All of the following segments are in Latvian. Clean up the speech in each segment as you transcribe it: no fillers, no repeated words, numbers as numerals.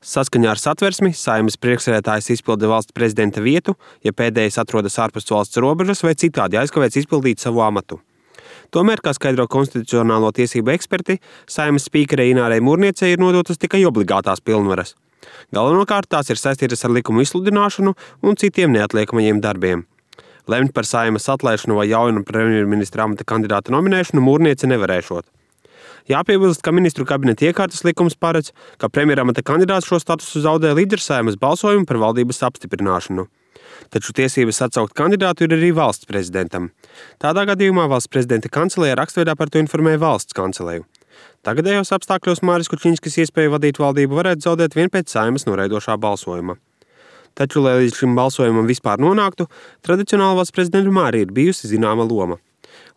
Saskaņā ar Satversmi Saeimas priekšsēdētājs izpilda valsts prezidenta vietu, ja pēdējais atrodas ārpus valsts robežas vai citādi aizkavēts izpildīt savu amatu. Tomēr, kā skaidro konstitucionālo tiesību eksperti, Saeimas spīkerei Inārai Mūrniecei ir nodotas tikai obligātās pilnvaras. Galvenokārt tās ir saistītas ar likumu izsludināšanu un citiem neatliekamajiem darbiem. Lemt par Saeimas atlaišanu vai jaunu premjerministra amata kandidāta nominēšanu Mūrniece nevarēšot. Jāpiebilst, ka ministru kabineta iekārtas likums paredz, ka premjeramata kandidāts šo statusu zaudē līdz ar Saeimas balsojumu par valdības apstiprināšanu. Taču tiesības atsaukt kandidātu ir arī valsts prezidentam. Tādā gadījumā valsts prezidenta kancelēja rakstveidā par to informē valsts kanceleju. Tagadējos apstākļos Māris Kučiņskis iespēju vadīt valdību varētu zaudēt vien pēc Saeimas noraidošā balsojuma. Taču, lai līdz šim balsojumam vispār nonāktu, tradicionāli valsts prezidentam arī ir bijusi zināma loma.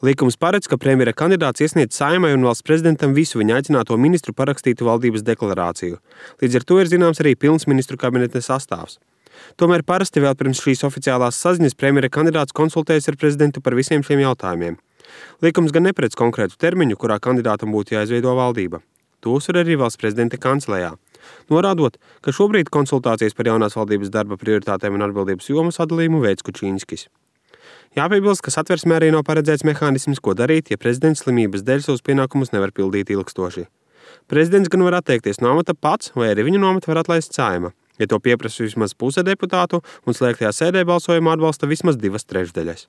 Likums paredz, ka premjera kandidāts iesniedz Saeimai un valsts prezidentam visu viņa aicināto ministru parakstītu valdības deklarāciju. Līdz ar to ir zināms arī pilns ministru kabineta sastāvs. Tomēr parasti vēl pirms šīs oficiālās saziņas premjera kandidāts konsultējas ar prezidentu par visiem šiem jautājumiem. Likums gan neparedz konkrētu termiņu, kurā kandidātam būtu jāizveido valdība. To uzsver arī valsts prezidenta kancelējā, norādot, ka šobrīd konsultācijas par jaunās valdības darba prioritātēm un atbildības jomu sadalījumu veids Kučiņskis. Jāpiebilst, ka Satversmē arī nav paredzēts mehānisms, ko darīt, ja prezidents slimības dēļ savus pienākumus nevar pildīt ilgstoši. Prezidents gan var atteikties no amata pats, vai arī viņu no amata var atlaist Saeima, ja to pieprasa vismaz puse deputātu un slēgtajā sēdē balsojumā atbalsta vismaz 2/3.